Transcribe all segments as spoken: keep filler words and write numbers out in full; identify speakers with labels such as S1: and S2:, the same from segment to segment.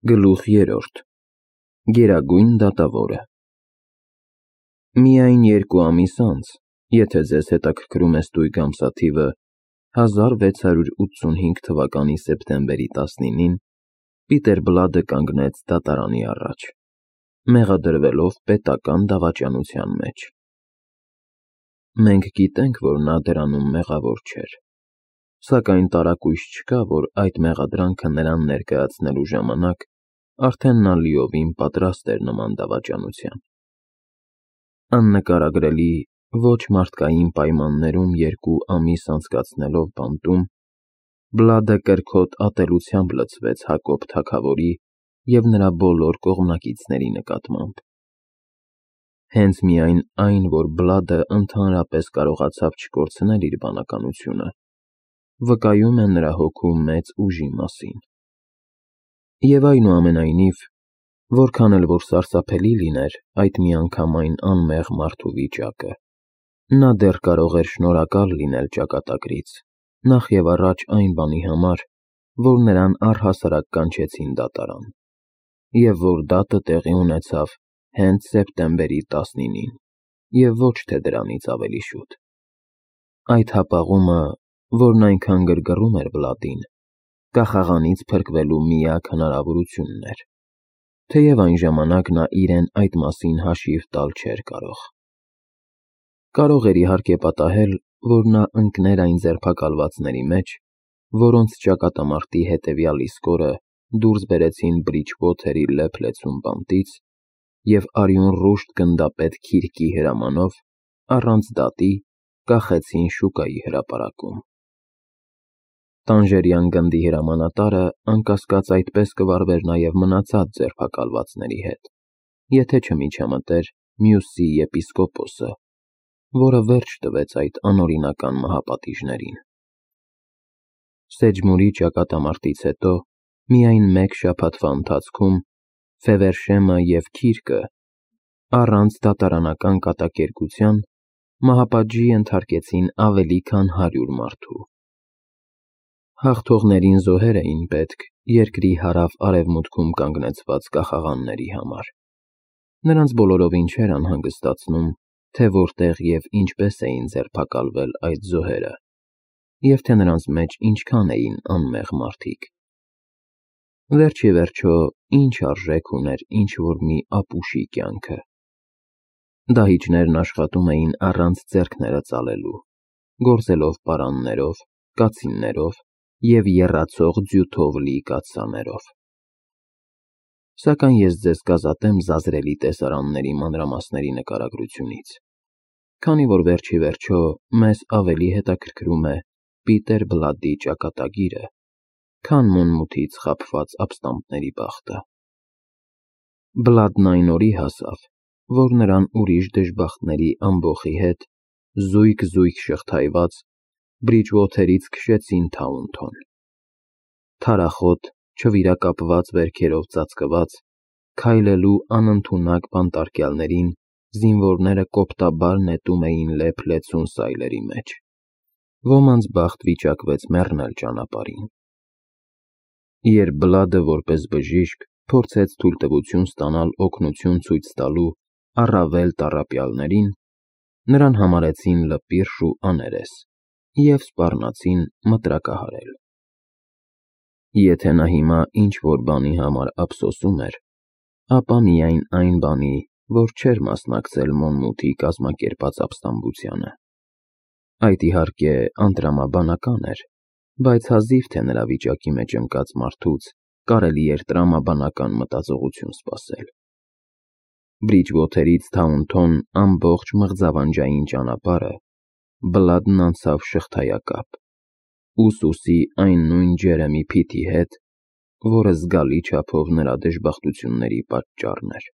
S1: Գլուխ երրորդ Գերագույն դատավորը Միայն երկու ամիս անց, եթե ձեզ հետաքրքրում է ստույգ ամսաթիվը, հազար վեց հարյուր ութսունհինգ թվականի սեպտեմբերի տասնինին, Պիտեր Բլադը կանգնեց դատարանի առաջ, մեղադրվելով պետական դավաճանության մեջ։ Մենք գիտենք, որ նա դրանում մեղավոր չէր, սակայն տարակույս չկա, որ այդ մեղադրանքը նրան ներկայացնելու ժամանակ արդեն նա լիովին պատրաստ էր նման դավաճանության։ Աննկարագրելի, ոչ մարդկային պայմաններում երկու ամիս անցկացնելով բանտում, Բլադը կրքոտ ատելությամբ լցվեց Հակոբ թագավորի և նրա բոլոր կողմնակիցների նկատմամբ։ Հենց միայն այն, որ Բլադը ընդհանրապես կարողացավ չկորցնել իր բանականությունը, վկայում է նրա հոգու մեծ ուժի մասին։ Եվ այնուամենայնիվ, որքան էլ որ սարսափելի լիներ այդ միանգամայն անմեղ մարդու վիճակը, նա դեռ կարող էր շնորհակալ լինել ճակատագրից, նախ և առաջ այն բանի համար, որ նրան առհասարակ կանչեցին դատարան, և որ դատը տեղի ունեցավ հենց սեպտեմբերի տասնինին, և ոչ թե դրանից ավելի շուտ։ Այդ հապաղումը, որն այնքան գրգռում էր Բլադին, կախաղանից փրկվելու միակ հնարավորությունն էր, թեև այն ժամանակ նա իրեն այդ մասին հաշիվ տալ չէր կարող։ Կարող էր իհարկե պատահել, որ նա ընկներ այն ձերբակալվածների մեջ, որոնց ճակատամարտի հետևյալ իսկ օրը դուրս բերեցին Բրիջվոթերի լեփ-լեցուն բանտից և արյուն ռուշտ գնդապետ Քիրկի հրամանով, առանց դատի, կախեցին շուկայի հրապարակում։ Տանժերյան գնդի հրամանատարը անկասկած այդպես կվարվեր նաև մնացած ձերբակալվածների հետ, եթե չմիջամտեր Մյուսի եպիսկոպոսը, որը վերջ տվեց այդ անօրինական մահապատիժներին։ Սեջմուրի ճակատամարտից հետո միայն մեկ շաբաթվա ընթացքում Ֆևերշեմը և Քիրկը, առանց դատարանական կատակերգության, մահապատժի ենթարկեցին ավելի քան հարյուր մարդու։ Հաղթողներին զոհեր էին պետք երկրի հարավ֊արևմուտքում կանգնեցված կախաղանների համար։ Նրանց բոլորովին չէր անհանգստացնում, թե որտեղ և ինչպես էին ձերբակալվել այդ զոհերը, և թե նրանց մեջ ինչքան էին անմեղ մարդիկ։ Վերջ ի վերջո, ինչ արժեք ուներ ինչ-որ մի ապուշի կյանքը։ Դահիճներն աշխատում էին առանց ձեռքները ծալելու, գործելով պարաններով, կացիններով և եռացող ձյութով լի կաթսաներով։ Սակայն ես ձեզ կազատեմ զազրելի տեսարանների մանրամասների նկարագրությունից, քանի որ վերջ ի վերջո մեզ ավելի հետաքրքրում է Պիտեր Բլադի ճակատագիրը, քան մունմութից խաբված ապստամբների բախտը։ Բլադն այն օրի հասավ, որ նրան ուրիշ դժբախտների ամբոխի հետ, զույգ-զույգ շղթայված, Բրիջվոթերից քշեցին Թաունթոն։ Թարախոտ, չվիրակապված վերքերով ծածկված, քայլելու անընդունակ բանտարկյալներին զինվորները կոպտաբար նետում էին լեփ-լեցուն սայլերի մեջ։ Ոմանց բախտ վիճակվեց մեռնել ճանապարհին։ Երբ Բլադը որպես բժիշկ փորձեց թույլտվություն ստանալ օգնություն ցույց տալու առավել տառապյալներին, նրան համարեցին լպիրշ ու աներես և սպառնացին մտրակահարել։ Եթե նա հիմա ինչ-որ բանի համար ափսոսում էր, ապա միայն այն բանի, որ չէր մասնակցել Մոնմութի կազմակերպած ապստամբությանը։ Այդ իհարկե անտրամաբանական էր, բայց հազիվ թե նրա վիճակի մեջ ընկած մարդուց կարելի էր տրամաբանական մտածողություն սպասել։ Բրիջվոթերից Թաունթոն ամբողջ մղձավանջային ճանապարհը Բլադն անցավ շղթայակապ, ուսուսի այն նույն Ջերեմի Փիթի հետ, որը զգալի չափով նրա դժբախտությունների պատճառն էր։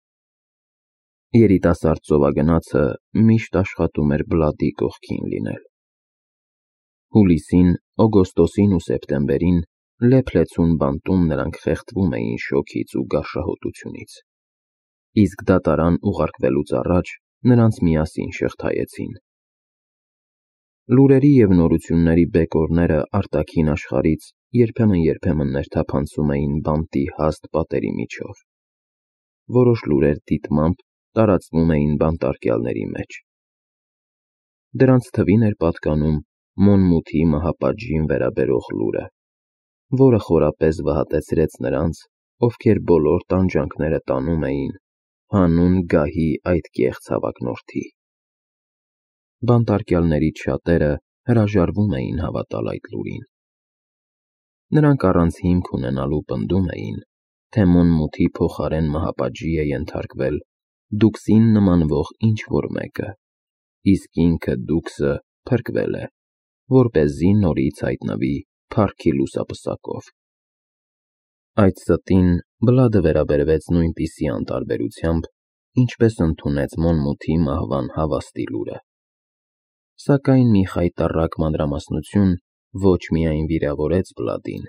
S1: Երիտասարդ ծովագնացը միշտ աշխատում էր Բլադի կողքին լինել։ Հուլիսին, օգոստոսին ու սեպտեմբերին լեփ-լեցուն բանտում նրանք խեղդվում էին շոգից ու գարշահոտությունից, իսկ դատարան ուղարկվելուց առաջ նրանց միասին շղթայեցին։ Լուրերի և նորությունների բեկորները արտաքին աշխարհից երբեմն-երբեմն ներթափանցում էին բանտի հաստ պատերի միջով։ Որոշ լուրեր դիտմամբ տարածվում էին բանտարկյալների մեջ։ Դրանց թվին էր պատկանում Մոնմութի մահապատժին վերաբերող լուրը, որը խորապես վհատեցրեց նրանց, ովքեր բոլոր տանջանքները տանում էին հանուն գահի այդ կեղծ հավակնորդի։ Բանտարկյալներից շատերը հրաժարվում էին հավատալ այդ լուրին։ Նրանք առանց հիմք ունենալու պնդում էին, թե Մոնմութի փոխարեն մահապատժի է ենթարկվել Դուքսին նմանվող ինչ-որ մեկը, իսկ ինքը Դուքսը փրկվել է, որպեսզի նորից հայտնվի փառքի լուսապսակով։ Այդ ստին Բլադը վերաբերվեց նույնպիսի անտարբերությամբ, ինչպես ընդունեց Մոնմութի մահվան հավաստի լուրը։ Սակայն մի խայտառակ մանրամասնություն ոչ միայն վիրավորեց Բլադին,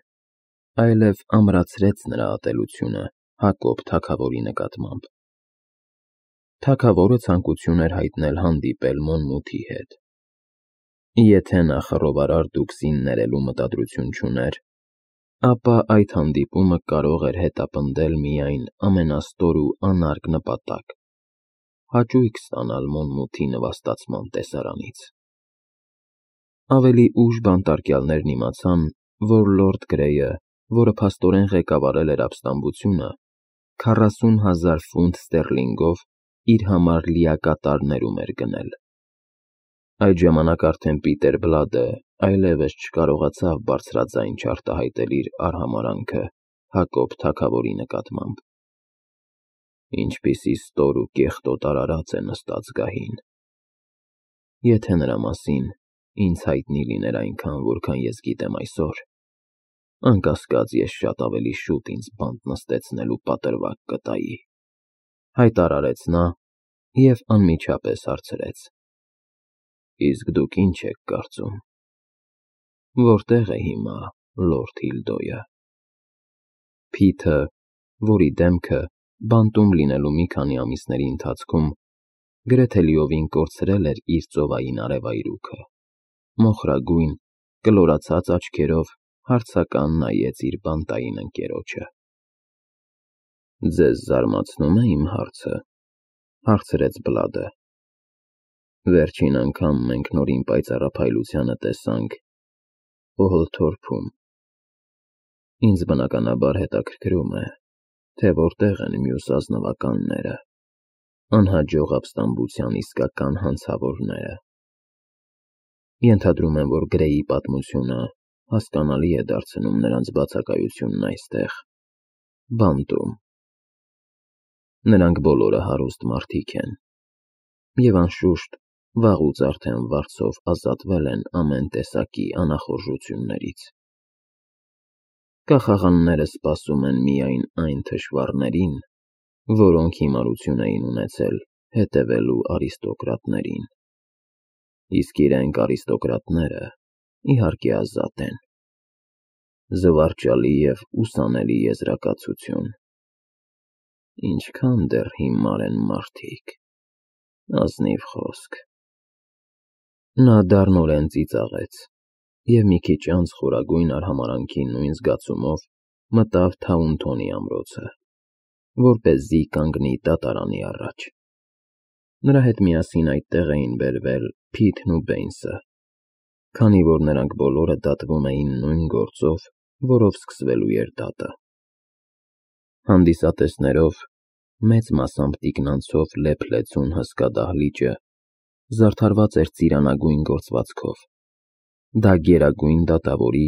S1: այլև ամրացրեց նրա ատելությունը Հակոբ թագավորի նկատմամբ։ Թագավորը ցանկություն էր հայտնել հանդիպել Մոնմութի հետ։ Եթե նա խռովարար Դուքսին ներելու մտադրություն չուներ, ապա այդ հանդիպումը կարող էր հետապնդել միայն ամենաստոր ու անարգ նպատակ՝ հաճույք ստանալ Մոնմութի նվաստացման տեսարանից։ Ավելի ուշ բանտարկյալներն իմացան, որ լորդ Գրեյը, որը փաստորեն ղեկավարել էր ապստամբությունը, քառասուն հազար ֆունտ ստերլինգով իր համար լիակատար ներում էր գնել։ Այդ ժամանակ արդեն Պիտեր Բլադը այլևս չկարողացավ բարձրաձայն չարտահայտել իր արհամարհանքը Հակոբ թագավորի նկատմամբ։ Ինչպիսի ստոր ու կեղտոտ արարած է նստած գահին։ Եթե նրա մասին ինձ հայտնի լիներ այնքան, որքան ես գիտեմ այսօր, անկասկած ես շատ ավելի շուտ ինձ բանտ նստեցնելու պատրվակ կտայի, հայտարարեց նա և անմիջապես հարցրեց. Իսկ դուք ինչ եք կարծում, որտե՞ղ է հիմա լորդ Հիլդոյը։ Փիթը, որի դեմքը բանտում լինելու մի քանի ամիսների ընթացքում գրեթե լիովին կորցրել էր իր ծովային արևայրուքը, մոխրագույն, կլորացած աչքերով հարցական նայեց իր բանտային ընկերոջը։ Ձեզ զարմացնո՞ւմ է իմ հարցը, հարցրեց Բլադը։ Վերջին անգամ մենք նորին պայծառափայլությանը տեսանք Օհլթորփում։ Ինձ բնականաբար հետաքրքրում է, թե որտեղ են մյուս ազնվականները, անհաջող ապստամբության իսկական հանցավորները։ Ենթադրում եմ, որ Գրեյի պատմությունը հասկանալի է դարձնում նրանց բացակայությունն այստեղ, բանտում։ Նրանք բոլորը հարուստ մարդիկ են, և անշուշտ վաղուց արդեն վարձով ազատվել են ամեն տեսակի անախորժություններից։ Կախաղանները սպասում են միայն այն թշվառներին, որոնք հիմարություն էին ունեցել հետևելու արիստոկրատներին, իսկ իրենք արիստոկրատները իհարկե ազատ են։ Զվարճալի և ուսանելի եզրակացություն։ Ինչքան դեռ հիմար են մարդիկ, ազնիվ խոսք։ Նա դառնորեն ծիծաղեց և մի քիչ անց խորագույն արհամարհանքի նույն զգացումով մտավ Թաունթոնի ամրոցը, որպեսզի կանգնի դատարանի առաջ։ Նրա հետ միասին այդտեղ էին բերվել Փիթն ու Բեյնսը, քանի որ նրանք բոլորը դատվում էին նույն գործով, որով սկսվելու էր դատը։ Հանդիսատեսներով, մեծ մասամբ տիկնանցով լեփ-լեցուն հսկա դահլիճը զարդարված էր ծիրանագույն գործվածքով։ Դա Գերագույն դատավորի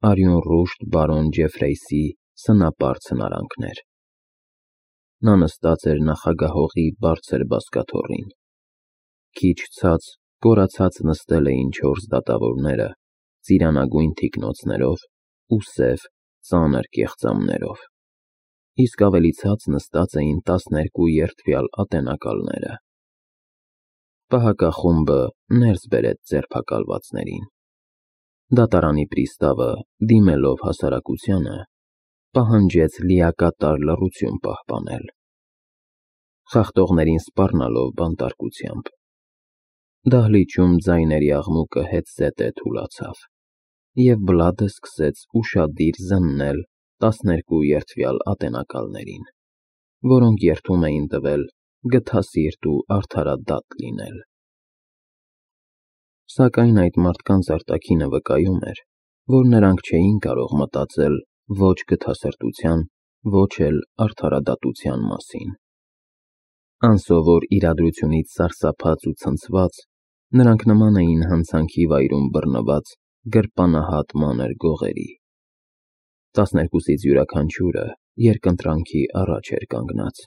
S1: արյունռուշտ բարոն Ջեֆրեյսի սնապարծ հնարանքն էր։ Նա նստած էր նախագահողի բարձր բազկաթոռին։ Քիչ ցած, կորացած նստել էին չորս դատավորները ծիրանագույն թիկնոցներով ու սև, ծանր կեղծամներով, իսկ ավելի ցած նստած էին տասներկու երդվյալ ատենակալները։ Պահակախումբը ներս բերեց ձերբակալվածներին։ Դատարանի պրիստավը, դիմելով հասարակությանը, պահանջեց լիակատար լռություն պահպանել, խախտողներին սպառնալով բանտարկությամբ։ Դահլիճում ձայների աղմուկը հետզհետե թուլացավ, և Բլադը սկսեց ուշադիր զննել տասներկու երդվյալ ատենակալներին, որոնք երդում էին տվել գթասիրտ ու արդարադատ լինել։ Սակայն այդ մարդկանց արտաքինը վկայում էր, որ նրանք չէին կարող մտածել ոչ գթասրտության, ոչ էլ արդարադատության մասին։ Անսովոր իրադրությունից սարսափած ու ցնցված, նրանք նման էին հանցանքի վայրում բռնված գրպանահատ մանր գողերի։ Տասներկուսից յուրաքանչյուրը երկընտրանքի առաջ էր կանգնած,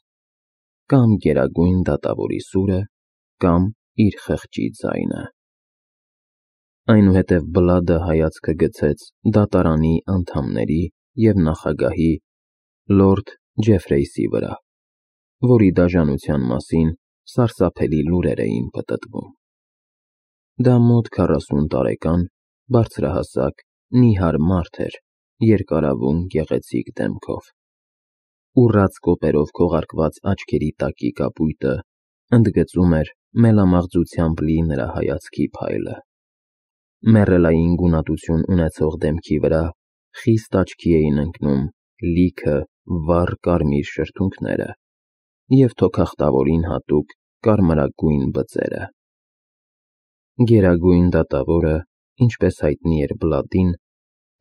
S1: կամ Գերագույն դատավորի սուրը, կամ իր խղճի ձայնը։ Այնուհետև Բլադը հայացքը գցեց դատարանի անդամների և նախագահի լորդ Ջեֆրեյսի վրա, որի դաժանության մասին սարսափելի լուրեր էին պտտվում։ Դա մոտ քառասուն տարեկան, բարձրահասակ, նիհար մարդ էր երկարավուն գեղեցիկ դեմքով։ Ուռած կոպերով քողարկված աչքերի տակի կապույտը ընդգծում էր մելամաղձությամբ լի նրա հայացքի փայլը։ Մեռելային գունատություն ունեցող դեմքի վրա խիստ աչքի էին ընկնում լիքը վառ կարմիր շրթունքները և թոքախտավորին հատուկ կարմրագույն բծերը։ Գերագույն դատավորը, ինչպես հայտնի էր Բլադին,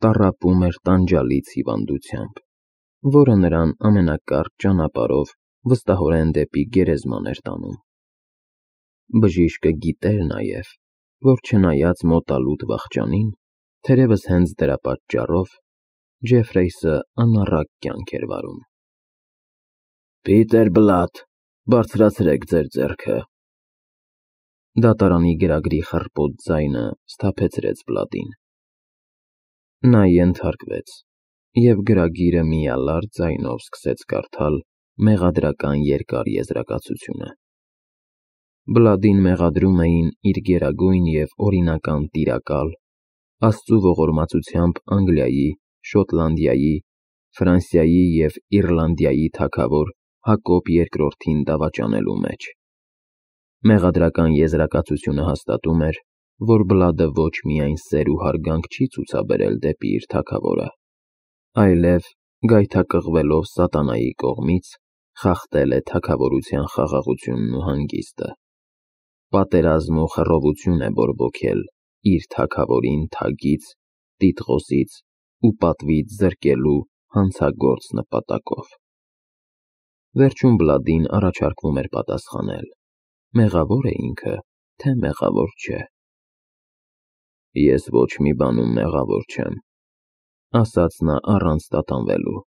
S1: տառապում էր տանջալից հիվանդությամբ, որը նրան ամենակարճ ճանապարհով վստահորեն դեպի գերեզման էր տանում։ Բժիշկը գիտեր նաև, որ չնայած մոտալուտ վախճանին, թերևս հենց դրա պատճառով Ջեֆրեյսը անառակ կյանք էր վարում։ «Պիտեր Բլադ, բարձրացրեք ձեր ձեռքը»։ Դատարանի գրագրի խռպոտ ձայնը սթափեցրեց Բլադին։ Նա ենթարկվեց և գրագիրը միալար ձայնով սկսեց կարդալ մեղադրական երկար եզրակացությունը։ Բլադին մեղադրում էին իր գերագույն և օրինական տիրակալ, Աստծու ողորմածությամբ Անգլիայի, Շոտլանդիայի, Ֆրանսիայի և Իռլանդիայի թագավոր Հակոբ երկրորդին դավաճանելու մեջ։ Մեղադրական եզրակացությունը հաստատում էր, որ Բլադը ոչ միայն սեր ու հարգանք չի ցուցաբերել դեպի իր թագավորը, այլև, գայթակղվելով սատանայի կողմից, խախտել է թագավորության խաղաղությունն ու հանգիստը, պատերազմ ու խռովություն է բորբոքել իր թագավորին թագից, տիտղոսից ու պատվից զրկելու հանցագործ նպատակով։ Վերջում Բլադին առաջարկվում էր պատասխանել՝ մեղավո՞ր է ինքը, թե մեղավոր չէ։ «Ես ոչ մի բանում մեղավոր չեմ», ասաց նա առանց տատանվելու։